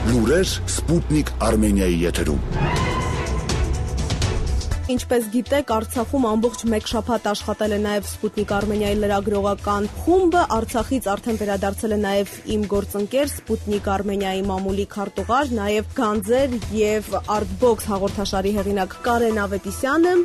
Լուրեր Սպուտնիկ Արմենիայի եթերում։ Ինչպես գիտեք, Արցախում ամբողջ մեկ շաբաթ աշխատել է նաև Սպուտնիկ Արմենիայի լրագրողական խումբը, Արցախից արդեն վերադարձել է նաև իմ գործընկեր Սպուտնիկ Արմենիայի մամուլի քարտուղար, նաև Գանձեր եւ Artbox հաղորդաշարի հեղինակ Կարեն Ավետիսյանը։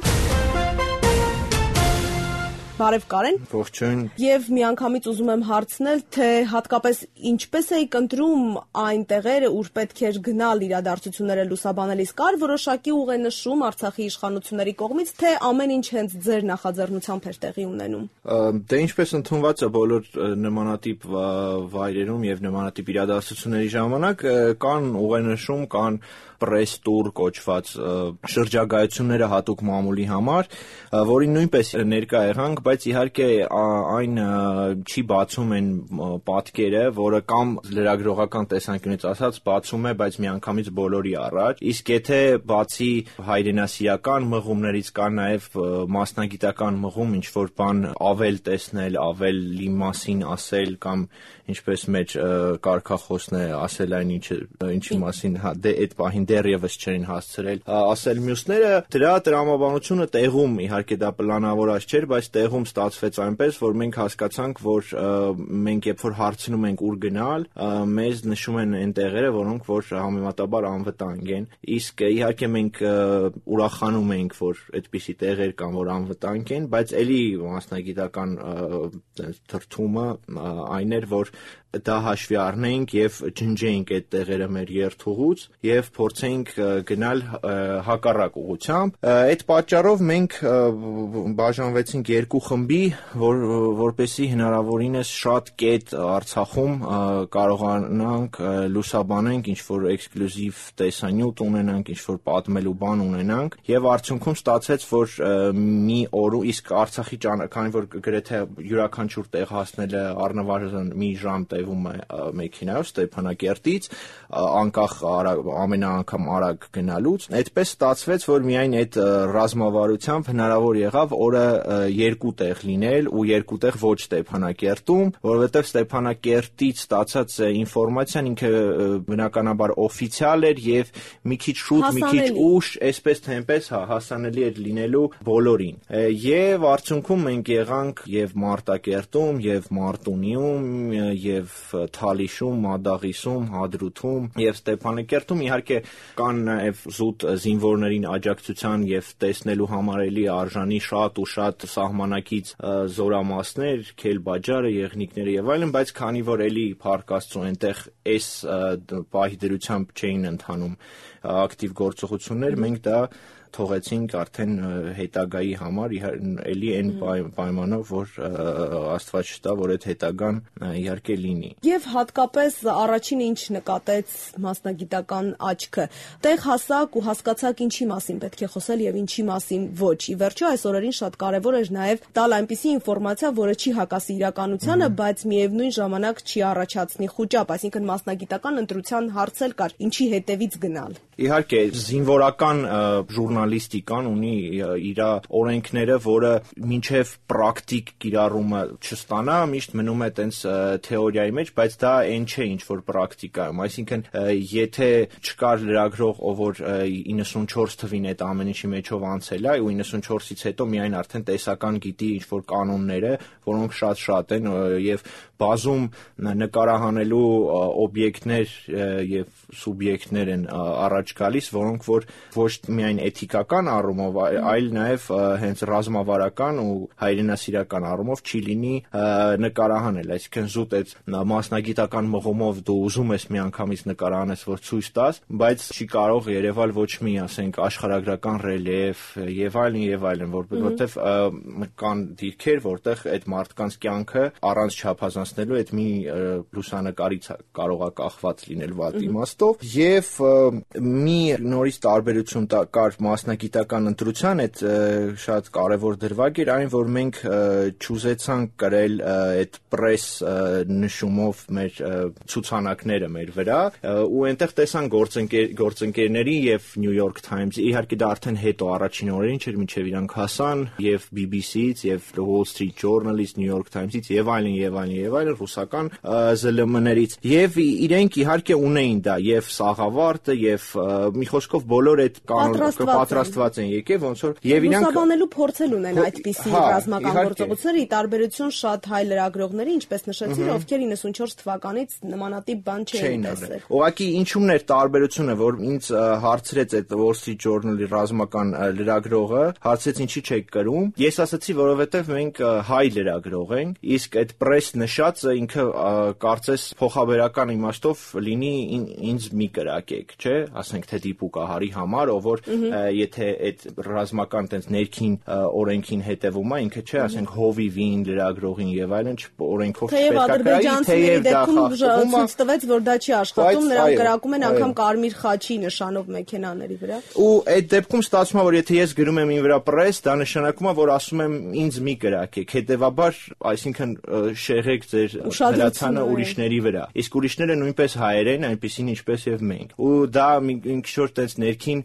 Բարև Կարեն։ Ողջույն։ Եվ միանգամից ուզում եմ հարցնել, թե հատկապես ինչպես էիք ընտրում այն տեղերը, ուր պետք էր գնալ իրադարձությունները լուսաբանելիս, կար որոշակի ուղենշում Արցախի իշխանությունների կողմից, թե ամեն ինչ հենց ձեր նախաձեռնությամբ էր տեղի ունենում։ Դե ինչպես ընդունված է բոլոր նմանատիպ վայրերում եւ նմանատիպ իրադարձությունների ժամանակ կան ուղենշում, կան պրես տուր կոչված շրջագայությունները հատուկ մամուլի համար, որին նույնպես ներկա եղանք, բայց իհարկե այն չի բացում այն պատկերը, որը կամ լրագրողական տեսանկյունից ասած բացում է, բայց միանգամից բոլորի առաջ, իսկ եթե բացի հայրենասիրական մղումներից կա նաև մասնագիտական մղում, ինչ որ բան ավել տեսնել, ավելի մասին ասել կամ ինչպես մեր կարգախոսն է ասել այն ինչի մասին դե այդ պահին դեռևս չէին հասցրել ասել մյուսները, դրա տրամաբանությունը տեղում իհարկե դա պլանավորած չէր, բայց տեղում ստացվեց այնպես, որ մենք հասկացանք, որ մենք երբ որ հարցնում ենք ուր գնալ, մեզ նշում են այն տեղերը, որոնք որ համեմատաբար անվտանգ են, իսկ իհարկե մենք ուրախանում ենք, որ այդպիսի տեղեր կան, որ անվտանգ են, բայց էլի մասնագիտական թրթումը այն էր, որ դա հաշվի առնենք եւ ջնջենք այդ տեղերը մեր երթուղուց եւ փորձենք գնալ հակառակ ուղղությամբ։ Այդ պատճառով մենք բաժանվեցինք երկու խմբի, որպեսզի հնարավորինս շատ կետ Արցախում կարողանանք լուսաբանենք, ինչ որ էքսկլյուզիվ տեսանյութ ունենանք, ինչ որ պատմելու բան ունենանք եւ արդյունքում ստացվեց, որ մի օր իսկ Արցախի քանի որ գրեթե յուրաքանչյուր տեղ հասնելը առնվազն մի ժամ տևում է մեքենայով Ստեփանակերտից, անկախ ամեն անգամ արագ գնալուց, այդպես ստացվեց, որ միայն այդ ռազմավարությամբ հնարավոր եղավ օրը երկու տեղ լինել ու երկու տեղ ոչ Ստեփանակերտում, որովհետև Ստեփանակերտից ստացած ինֆորմացիան ինքը բնականաբար օֆիցիալ էր եւ մի քիչ շուտ, մի քիչ ուշ, այսպես թե այնպես հասանելի էր լինելու բոլորին։ Եվ արդյունքում մենք եղանք եւ Մարտակերտում, եւ Մարտունիում, եւ Թալիշում, Մադաղիսում, Հադրութում եւ Ստեփանակերտում իհարկե կան նաեւ զուտ զինվորներին աջակցության եւ տեսնելու համար էլի արժանի շատ ու շատ սահմանակից զորամասներ, Քելբաջարը, Եղնիկները եւ այլն, բայց քանի որ էլի Փառք Աստծո այնտեղ այս պահի դրությամբ չէին ընթանում ակտիվ գործողություններ, մենք դա թողեցինք արդեն հետագայի համար էլի այն պայմանով, որ Աստված չտա, որ այդ հետագան իհարկե լինի։ Եվ հատկապես առաջինը ինչ նկատեց մասնագիտական աչքը, տեղ հասակ ու հասկացաք ինչի մասին պետք է խոսել եւ ինչի մասին ոչ։ Ի վերջո այս օրերին շատ կարեւոր էր նաեւ տալ այնպիսի ինֆորմացիա, որը չի հակասի իրականությանը, բայց միևնույն ժամանակ չի առաջացնի խուճապ, այսինքն մասնագիտական ընտրության հարց էլ կար, ինչի հետևից գնալ։ Իհարկե զինվորական ժուրնալիստիկան ունի իր օրենքները, որը մինչև պրակտիկ կիրառումը չստանա, միշտ մնում է տենց թեորիայի մեջ, բայց դա այն չէ, ինչ որ պրակտիկայում, այսինքն եթե չկար լրագրող, ով որ 94 թվին այդ ամեն ինչի մեջով անցել է ու 94-ից հետո միայն արդեն տեսական գիտի ինչ որ կանոնները, որոնք շատ են եւ բազում նկարահանելու օբյեկտներ եւ սուբյեկտներ են առաջ գալիս, որոնք որ ոչ միայն էթիկական առումով, այլ նաեւ հենց ռազմավարական ու հայրենասիրական առումով չի լինի նկարահանել, այսինքն զուտ այդ մասնագիտական մղումով դու ուզում ես միանգամից նկարահանես, որ ցույց տաս, բայց չի կարող երևալ ոչ մի, ասենք, աշխարհագրական ռելիեֆ եւ այլն, որովհետեւ կան դիրքեր, որտեղ այդ մարդկանց կյանքը առանց չափազանցնելու այդ մի լուսանկարից կարող է կախված լինել վատ իմաստով եւ մի նորից տարբերություն կար մասնագիտական ընտրության այդ շատ կարևոր դրվագ էր այն, որ մենք չուզեցանք կրել այդ պրես նշումով մեր ցուցանակները մեր վրա ու այնտեղ տեսան գործընկերների եւ New York Times-ի, իհարկե դա արդեն հետո առաջին օրերին չէր, մինչեւ իրանք հասան եւ BBC-ից եւ Wall Street Journal-ից, New York Times-ից եւ այլն ռուսական ԶԼՄ-ներից եւ իրենք իհարկե ունեին դա եւ սաղավարտը եւ մի խոսքով բոլոր այդ պատրաստված են եկել ոնց որ եւ իրանք լուսաբանելու փորձել ունեն այդպիսի ռազմական գործողությունները ի տարբերություն շատ հայ լրագրողների, ինչպես նշեցին, ովքեր 94 թվականից նմանատիպ բան չէին տեսել։ Ուղղակի ինչումն էր տարբերությունը, որ ինձ հարցրեց այդ Wall Street Journal-ի ռազմական լրագրողը, հարցրեց ինչի չեք կրում։ Ես ասացի, որովհետեւ մենք հայ լրագրող ենք, իսկ այդ պրես նշածը ինքը կարծես փոխաբերական իմաստով լինի ինձ մի կրակեք, չէ՞, ասենք թե դիպուկահարի համար, ով որ եթե այդ ռազմական տենց ներքին օրենքին հետևում է, ինքը չէ, ասենք հովիվին, լրագրողին եւ այլն օրենքով չպետք է ցույց տվեց, որ դա չի աշխատում, նրանք կրակում են անգամ կարմիր խաչի նշանով մեքենաների վրա։ Ու այդ դեպքում ստացվում է, որ եթե ես գրում եմ ին վրա պրես, դա նշանակում է, որ ասում եմ ինձ մի կրակեք, հետեւաբար, այսինքն շեղեք ձեր հրացանը ուրիշների վրա։ Իսկ ուրիշները նույնպես հայեր են, այնպեսին ինչպես եւ մենք։ Ու դա մի ինչ-որ տես ներքին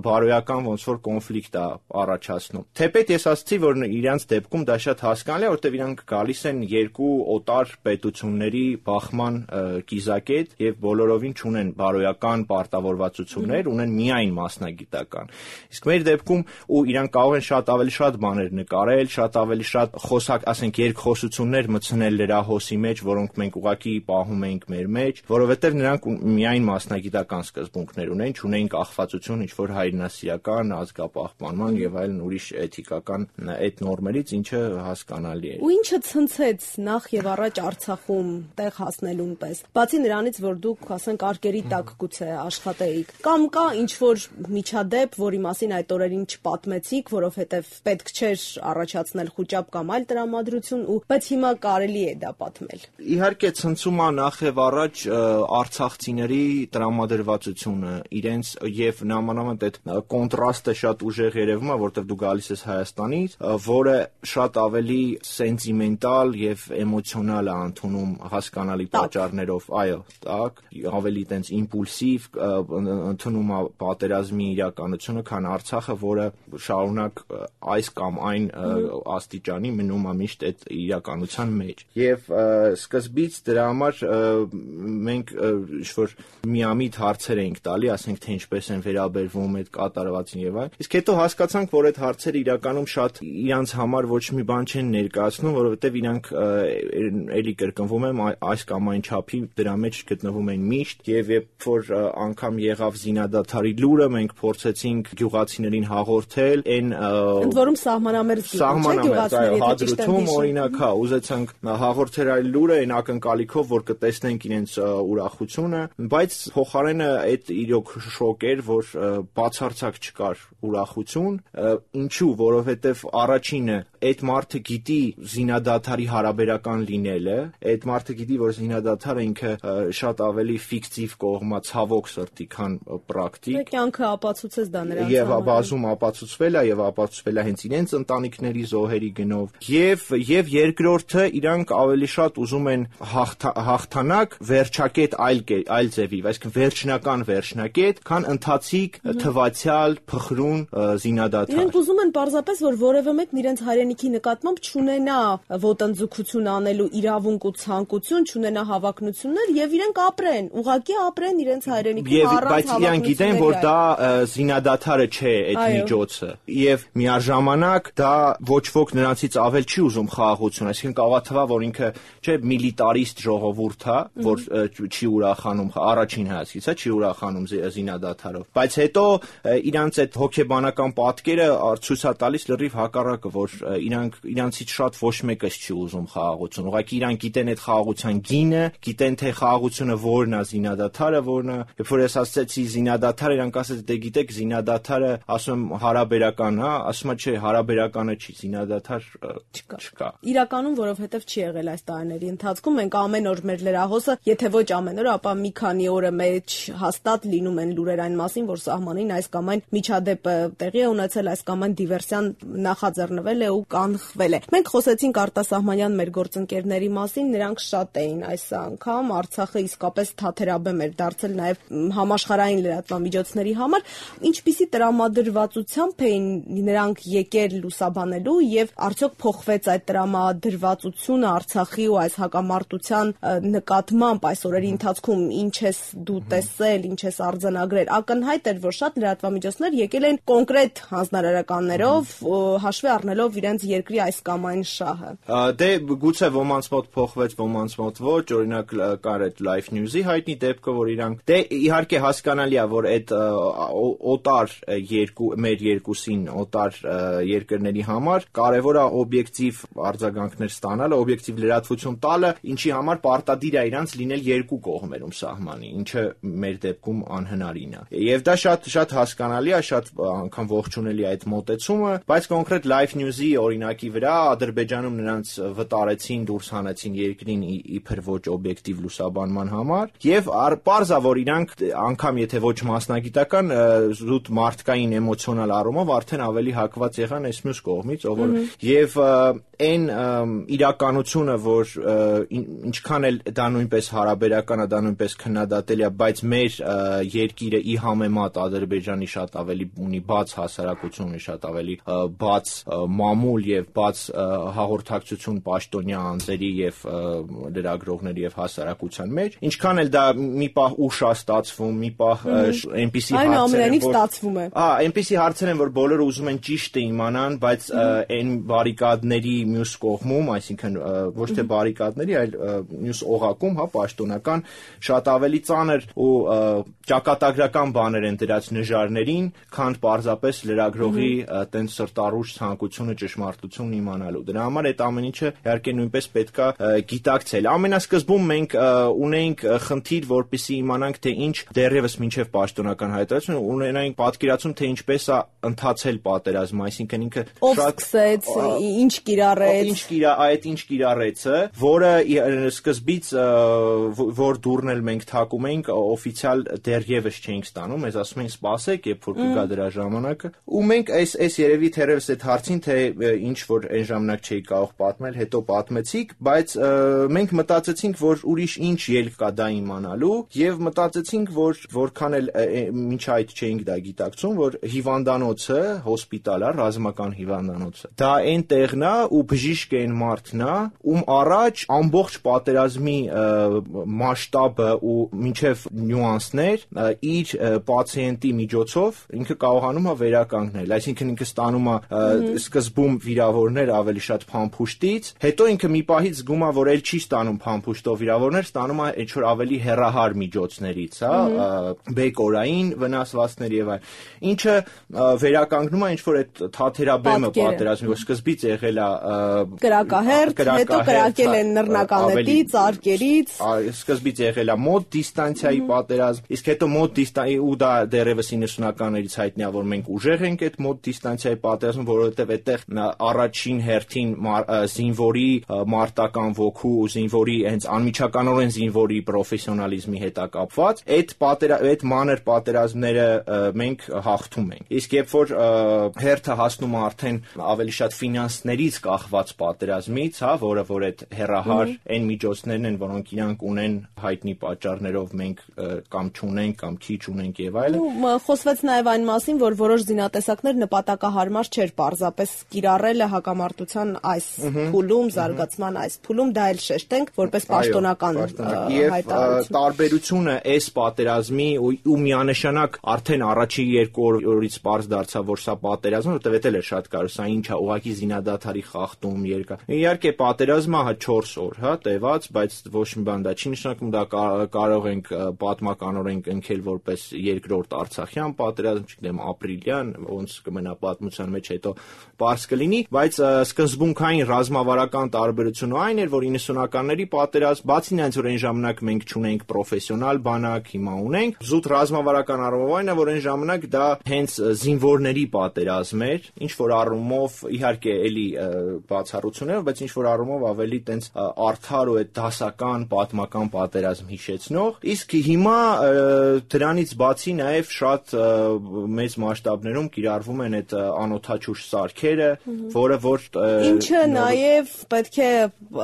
բարոյական ոնց որ կոնֆլիկտ է առաջացնում։ Թեպետ ես ասացի, որ իրանց դեպքում դա շատ հասկանալի է, որտեղ իրանք գալիս են երկու օտար պետությունների բախման կիզակետ եւ բոլորովին չունեն բարոյական պարտավորվածություններ, ունեն միայն մասնագիտական։ Իսկ մեր դեպքում ու իրանք կարող են շատ ավելի շատ բաներ նկարել, շատ ավելի շատ խոսակ, ասենք երկխոսություններ մտցնել լրահոսի մեջ, որոնք մենք ուղղակի պահում ենք մեր մեջ, որովհետեւ նրանք միայն մասնագիտական սկզբունքներ ունեն, չունեն կախվածություն ինչ-որ հայրենասիրական, ազգապահպանման եւ այլն ուրիշ էթիկական այդ նորմերից, ինչը հասկանալի է։ Ու ինչը ցնցեց նախ եւ առաջ Արցախում տեղ հասնելուն պես։ Բացի նրանից, որ դուք, ասենք, արկերի տակ գուցե աշխատեիք, կամ կա ինչ-որ միջադեպ, որի մասին այդ օրերին չպատմեցիք, որովհետեւ պետք չէր առաջացնել խուճապ կամ այլ տրամադրություն, բայց հիմա կարելի է դա պատմել։ Իհարկե ցնցում է նախ եւ առաջ արցախցիների տրամադրվածությունը, իրենց եւ նամանավանդ այդ կոնտրաստը շատ ուժեղ երևում է, որտեղ դու գալիս ես Հայաստանից, որը շատ ավելի սենտիմենտալ եւ էմոցիոնալ է ընդունում հասկանալի պատճառներով, այո, так, ավելի տենց իմպուլսիվ ընդունում է պատերազմի իրականությունը, քան Արցախը, որը շարունակ այս կամ այն աստիճանի մնում է միշտ այդ իրականության մեջ։ Եվ սկզբից դրա համար մենք ինչ-որ միամիտ հարցեր էինք տալի, ասենք թե ինչպես են վերաբերվում այդ կատարվածին եւ այլն։ Իսկ հետո հասկացանք, որ այդ հարցերը իրականում շատ իրանց համար ոչ մի բան չեն ներկայացնում, որովհետեւ իրանք էլի կրկնվում եմ այս կամ այն չափի դրա մեջ գտնվում են միշտ եւ երբ որ անգամ եղավ զինադադարի լուրը, մենք փորձեցինք գյուղացիներին հաղորդել, ընդ որում սահմանամերձ հադրութում օրինակ, հա, ուզեցանք հաղորդել այլ լուրը այն ակնկալիքով, որ կտեսնենք իրենց ուրախությունը, բայց փոխարենը այդ իրոք շոկ էր, որ բացարձակ չկար ուրախություն, ինչու, որովհետեւ առաջինը այդ մարդը գիտի զինադադարի հարաբերական լինելը, այդ մարդը գիտի, որ զինադադարը ինքը շատ ավելի ֆիկտիվ կողմա ցավոք սրտի, քան պրակտիկ։ Կյանքը ապացուցեց դա նրանց եւ բազում ապացուցվել է եւ ապացուցվել է հենց իրենց ընտանիքների զոհերի գնով եւ երկրորդը իրանք ավելի շատ ուզում են հաղթանակ վերջակետ այլ ձևի, այսինքն վերջնակետ, քան ընթացիկ թվացial փխրուն զինադադար։ Իրենք ուզում են պարզապես, որ որևէ մեկն իրենց հայրենիքի նկատմամբ չունենա ոտնձգություն անելու իրավունք ու ցանկություն, չունենա հավակնություններ եւ իրենք ապրեն, ուղղակի ապրեն իրենց հայրենիքում առանց բայց իրանք գիտեն, որ դա զինադադարը չէ այդ միջոցը եւ միաժամանակ դա ոչ ոք նրանցից ավել չի ուզում խաղաղություն, այսինքն կարող է թվա, որ ինքը չէ միլիտարիստ ժողովուրդ է, որ չի ուրախանում առաջին հայացքից, չի ուրախանում զինադադարով, բայց հետո իրանց այդ հոգեբանական պատկերը ցույց է տալիս լրիվ հակառակը, որ իրանցից շատ ոչ մեկս չի ուզում խաղաղություն։ Ուղղակի իրանք գիտեն այդ խաղաղության գինը, գիտեն թե խաղաղությունը որն է, զինադադարը որն է։ Երբ որ ես ասացի զինադադարը, իրանք ասաց դե գիտեք զինադադարը, ասում եմ հարաբերական, հա, ասում է չէ, հարաբերականը չի, զինադադար չկա։ Իրականում, որովհետև չի եղել այս տարիների ընթացքում, մենք ամեն օր մեր լրահոսը, եթե ոչ ամեն օր, ապա մի քանի օրը մեջ հաստատ լինում են լուրեր այն մասին, որ սահմանին այս կամ այն միջադեպը տեղի է ունեցել, այս կամ այն դիվերսիան նախաձեռնվել է ու կանխվել է։ Մենք խոսեցինք արտասահմանյան մեր գործընկերների մասին, նրանք շատ էին այս անգամ, Արցախը իսկապես թաթերաբեմ էր դարձել նաև համաշխարհային լրատվամիջոցների համար, ինչպիսի տրամադրվածությամբ էին նրանք եկել լուսաբանելու եւ արդյոք փոխվեց այդ տրամադրվածությունը Արցախի ու այս հակամարտության նկատմամբ այս օրերի ընթացքում, ինչ ես դու տեսել, ինչ ես արձանագրել, ակնհայտ էր, որ շատ լրատվամիջոցներ եկել են կոնկրետ հանձնարարականներով, հաշվի առնելով իրենց երկրի այս կամ այն շահը։ Դե գուցե ոմանց մոտ փոխվեց, ոմանց մոտ ոչ, օրինակ կար այդ Life News-ի հայտնի դեպքը, որ իրանք դե իհարկե հասկանալի է, որ այդ օտար մեր երկուսին օտար երկրների համար կարևոր է օբյեկտիվ արձագանքներ ստանալը, օբյեկտիվ լրատվություն տալը, ինչի համար պարտադիր է իրանց լինել երկու կողմերում սահմանի, ինչը մեր դեպքում անհնարին է։ Եվ դա շատ հասկանալի է, շատ անգամ ողջունելի է այդ մոտեցումը, բայց կոնկրետ Life News-ի օրինակի վրա Ադրբեջանում նրանց վտարեցին, դուրս հանեցին երկրին իբր ոչ օբյեկտիվ լուսաբանման համար, եւ պարզա որ իրանք անգամ եթե ոչ մասնագիտական, զուտ մարդկային էմոցիոնալ առումով արդեն ավելի հակված եղան այս մյուս կողմից, ով որ եւ այն իրականությունը, որ ինչքան էլ դա նույնպես հարաբերական է, դա նույնպես քննադատելի է, բայց մեր երկիրը ի համեմատ Ադրբեջանի շատ ավելի ունի բաց հասարակություն, շատ ավելի բաց մամուլ եւ բաց հաղորդակցություն պաշտոնյա անձերի եւ լրագրողների եւ հասարակության մեջ, ինչքան էլ դա մի պահ ուշ է ստացվում, մի պահ այնպիսի հարցեր են, ստացվում է։ Այնպիսի հարցեր են, որ բոլորը ուզում են ճիշտը իմանան, բայց այն բարիկադների մյուս կողմում, այսինքն ոչ թե բարիկադների, այլ մյուս օղակում, հա, պաշտոնական շատ ավելի ծանր ու ճակատագրական բաներ են դրած նժարներին, քան պարզապես լրագրողի տենց սրտառուչ ցանկությունը ճշմարտությունն իմանալու։ Դրա համար այդ ամեն ինչը իհարկե նույնպես պետքա գիտակցել։ Ամենասկզբում մենք ունեինք խնդիր, որպեսզի իմանանք, թե ինչ դեռևս մինչև պաշտոնական հայտարարությունը ունենային պատկերացում, թե ինչպես է ընթացել պատերազմը, այսինքն ինքը շատ սկսեց, ինչ կիրառեց, ինչ կիրառեցը, որը սկզբից որ դուրն էլ մենք թակում էինք, օֆիցիալ դեռևս չէինք ստանում, մեզ ասում էին սպասեք, երբ որ կգա դրա ժամանակը, ու մենք այս երևի թերևս այդ հարցին, թե ինչ որ այն ժամանակ չէի կարող պատմել, հետո պատմեցիք, բայց մենք մտածեցինք, որ ուրիշ ինչ ելք կա դա իմանալու, եւ մտածեցինք, որ որքան էլ մինչ այդ չէինք դա գիտակցում, որ հիվանդանոցը, հոսպիտալը, ռազմական հիվանդանոցը, դա այն տեղն է ու բժիշկ է այն մարդն է, ում առաջ ամբողջ պատերազմի մասշտաբը ու մինչև նյուանսներ իր պացիենտի միջոցով ինքը կարողանում է վերականգնել, այսինքն ինքը ստանում է սկզբում վիրավորներ ավելի շատ փամփուշտից, հետո ինքը մի պահից զգում է, որ էլ չի ստանում փամփուշտով վիրավորներ, ստանում է ինչ որ ավելի հեռահար միջոցներից, հա, բեկորային վնասվածքներ եւ այլն, ինչը վերականգնում է ինչ որ այդ թաթերաբեմը պատերազմի, որ սկզբից եղել է կրակահերթ, հետո կրակել են նռնականետից, արկերից, սկզբից եղել է մոտ դիստանցիայի պատերազմ, իսկ հետո մոտ դիստանցիայի ու դա դեռևս 90-ականներից հայտնի է, որ մենք ուժեղ ենք այդ մոտ դիստանցիայի պատերազմում, որովհետեւ այդտեղ առաջին հերթին զինվորի մարտական ոգու ու զինվորի հենց անմիջականորեն զինվորի պրոֆեսիոնալիզմի հետ է կապված, այդ մանր պատերազմները մենք հաղթում ենք։ Իսկ երբ որ հերթը հասնում է արդեն ավելի շատ ֆինանսներից կախված պատերազմից, հա, որը որ այդ հերահար այն միջոցներն են, որոնք իրանք ունեն հայտնի պատճառներով մենք կամ չունենք կամ քիչ ունենք եւ այլն։ Խոսվեց նաեւ այն մասին, որ որոշ զինատեսակներ նպատակահարմար չէր պարզապես կիրառելը հակամարտության այս փուլում, զարգացման այս փուլում, դա էլ շեշտենք որպես պաշտոնական հայտարարություն։ Տարբերությունը այս պատերազմի ու միանշանակ արդեն առաջին երկու օրից պարզ դարձավ, որ սա պատերազմ է, որտեղ էլ է շատ կարևոր, սա ինչ է, ուղղակի զինադադարի խախտում երկար։ Իհարկե պատերազմը 4 օր, հա, տևած, բայց ոչ մի բան դա չի նշանակում, դա կարող ենք պատմականորեն ընկել որպես երկրորդ Արցախյան պատերազմ, չգիտեմ, ապրիլյան, ոնց կմնա պատմության մեջ հետո պարզ կլինի, լինի, բայց սկզբունքային ռազմավարական տարբերությունը այն էր, որ 90-ականների պատերազմ, բացի նրանից, որ այն ժամանակ մենք չունենք պրոֆեսիոնալ բանակ, հիմա ունենք, զուտ ռազմավարական առումով այն է, որ այն ժամանակ դա հենց զինվորների պատերազմ էր, ինչ որ առումով իհարկե էլի բացառություններ, բայց ինչ որ առումով ավելի տենց արդար ու այդ դասական պատմական պատերազմ հիշեցնող, իսկ հիմա դրանից բացի նաև շատ մեծ մասշտաբներում կիրառվում են այդ անօդաչուշ սարքերը, որը որ ինչը նաև պետք է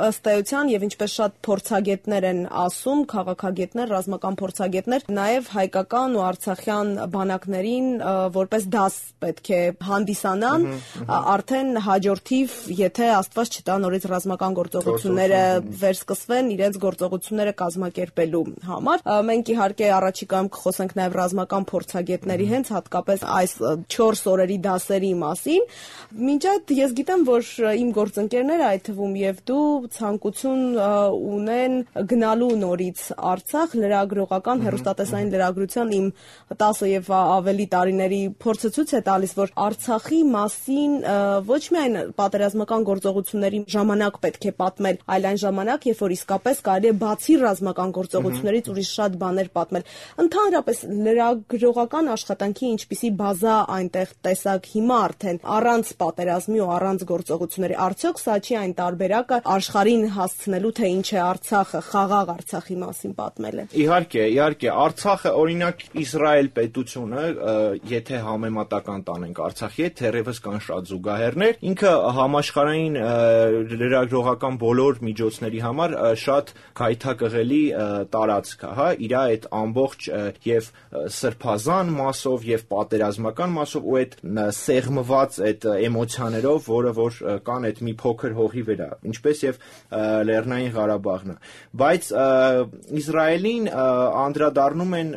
ըստ էության եւ ինչպես շատ փորձագետներ են ասում, քաղաքագետներ, ռազմական փորձագետներ, նաև հայկական ու արցախյան բանակներին որպես դաս պետք է հանդիսանան, արդեն հաջորդիվ, եթե Աստված չտա նորից ռազմական գործողությունները վերսկսվեն իրենց գործողությունները կազմակերպելու համար։ Մենք իհարկե առաջիկայում կխոսենք նաև ռազմական փորձագետների հենց հատկապես այս 4 օրերի դասերի մասին։ Մինչ այդ ես գիտեմ, որ իմ գործընկերները, այդ թվում եւ դու, ցանկություն ունեն գնալու նորից Արցախ լրագրողական հեռուստատեսային լրագրության իմ 10 եւ ավելի տարիների փորձը ցույց է տալիս, որ Արցախի մասին ոչ միայն պատերազմական գործողությունների ժամանակ պետք է պատմել, այլ այն ժամանակ, երբ որ իսկապես կարելի է բացի ռազմական գործողություններից ուրիշ շատ բաներ պատմել։ Ընդհանրապես լրագրողական աշխատանքի ինչպիսի բազա այնտեղ տեսակ հիմա արդեն առանց պատերազմի ու առանց գործողությունների, արդյոք սա չի այն տարբերակը աշխարհին հասցնելու, թե ինչ է Արցախը, խաղաղ Արցախի մասին պատմելը։ Իհարկե, Արցախը օրինակ Իսրայել պետությունը, եթե համեմատական տանենք Արցախի հետ, թերևս կան շատ զուգահեռներ, ինքը համաշխարհային լրագրողական բոլոր միջոցների համար շատ քայթակղելի տարածք է, հա, իր այդ ամբողջ եւ սրբազան մասով եւ պատերազմական մասով ու այդ սեղմված այդ էմոցիաներով, որը որ կան այդ մի փոքր հողի վրա, ինչպես եւ Լեռնային Ղարաբաղն է, բայց Իսրայելին անդրադառնում են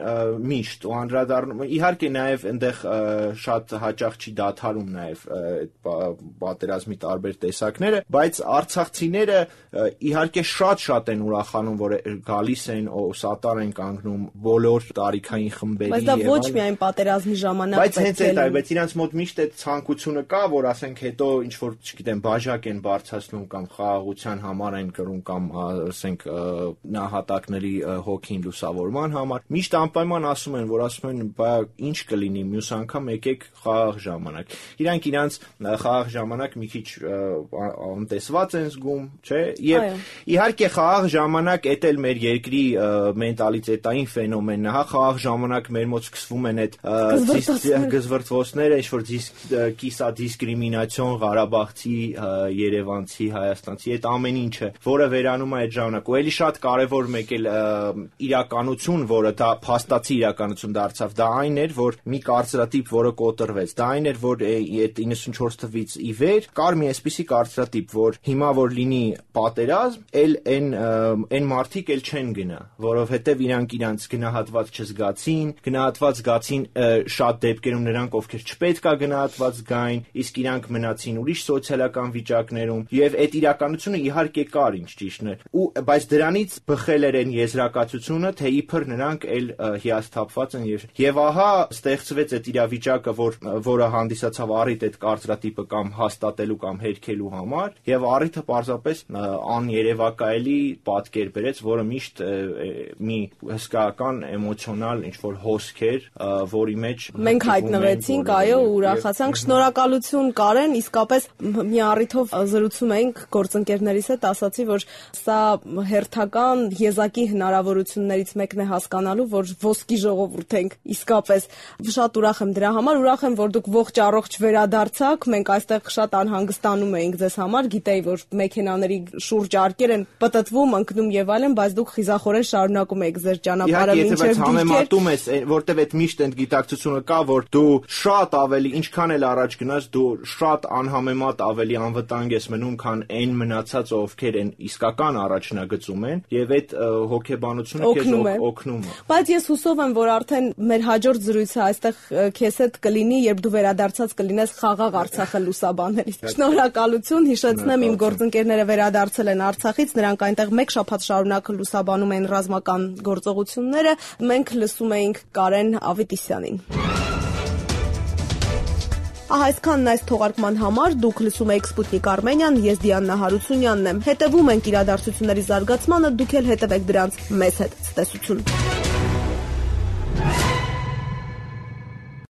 միշտ ու անդրադառնում իհարկե նաև այնտեղ շատ հաճախ չի դադարում նաև պատերազմի տարբեր տեսակները, բայց արցախցիները իհարկե շատ են ուրախանում, որ գալիս են ու սատար են կանգնում բոլոր տարիքային խմբերի բայց դա ոչ միայն պատերազմի ժամանակ բայց հենց այդ է, բայց իրանց մոտ միշտ այդ ցանկությունը կա, որ ասենք հետո ինչ որ չգիտեմ բաժակ են բարձրացնում կամ խաղաղության համար են գրում կամ ասենք նահատակների հոգին լուսավորման համար միշտ անպայման ասում են, բա ինչ կլինի մյուս անգամ եկեք խաղաղ ժամանակ։ Իրանք իրանց խաղաղ ժամանակ մի քիչ անտեսված են զգում, չէ՞։ Եվ իհարկե խաղաղ ժամանակ էդ էլ մեր երկրի մենտալիտետային ֆենոմենն է, հա, խաղաղ ժամանակ մեր մոտ սկսվում են այդ գզվրտվոցները, ինչ որ կիսա դիսկրիմինացիոն Ղարաբաղցի, երևանցի, հայաստանցի, այդ ամեն ինչը, որը վերանում է այդ ժամանակ։ Ու էլի շատ կարևոր մեկ էլ իրականություն, որը դա փաստացի իրականություն դարձավ, դա այն էր, որ մի կարծրատիպ, որը կոտրվեց, դա այն էր, որ այդ 94 թվից ի վեր կար մի այսպիսի կարծրատիպ, որ հիմա որ լինի պատերազմ, այն մարդիկ էլ չեն գնա, որովհետև իրանք գնահատված չզգացին, գնահատված զգացին շատ դեպքերում նրանք, ովքեր չպետք է գնահատված զգային, իսկ իրանք մնացին ուրիշ սոցիալական վիճակներում, եւ այդ իրականությունը իհարկե կար, ինչ ճիշտն է, բայց դրանից բխել էր այն եզրակացությունը, թե իբր նրանք էլ հիասթափված են եւ ահա ստեղծվեց այդ իրավիճակը, որը հանդիսացավ առիթ այդ կարծրատիպը կամ հաստատելու կամ հերքելու համար, եւ առիթը պարզապես աներևակայելի պատկեր բերեց, որը միշտ մի հսկայական էմոցիոնալ ինչ-որ հոսք էր, որի մեջ մենք հայտնվեցինք, այո, ուրախացանք։ Շնորհակալություն Կարեն, իսկապես մի առիթով զրուցում էինք գործընկերներիս հետ, ասացի, որ սա հերթական եզակի հնարավորություններից մեկն է հասկանալու, որ ոսկի ժողովուրդ ենք, իսկապես շատ ուրախ եմ դրա համար, ուրախ եմ, որ դուք ողջ առողջ վերադարձաք, մենք այստեղ շատ անհանգստանում էինք ձեզ համար, գիտեի, որ մեքենաների շուրջ արկեր են պտտվում, ընկնում եւ այլն, բայց դուք խիզախորեն շարունակում եք ձեր ճանապարհը մինչեւ համեմատում ես, որտեվ այդ միշտ այդ գիտակցությունը կա, որ դու շատ ավելի, ինչքան էլ առաջ գնաս, դու շատ անհամեմատ ավելի անվտանգ ես մնում, քան այն մնացած, ովքեր են իսկական առաջնագծում են, եւ այդ հոգեբանությունը քեզ օգնում է։ Բայց ես հուսով եմ, որ արդեն մեր հաջորդ զրույցը այստեղ քեզ հետ կլինի, երբ դու վերադարձած կլինես խաղաղ Արցախը լուսաբանելիս։ Շնորհակալություն, հիշեցնեմ, իմ գործընկերները վերադարձել են Արցախից, նրանք այնտեղ մեկ շաբաթ շարունակ լուսաբանում են ռազմական գործողությունները։ Մենք լսում էինք Կարեն Ավետիսյանին։ Ահա այսքանն այս թողարկման համար։ Դուք լսում եք Սպուտնիկ Արմենիան, ես Դիանա Հարությունյանն եմ։ Հետևում ենք իրադարձությունների զարգացմանը, դուք էլ հետևեք դրանց մեզ հետ։ Ցտեսություն։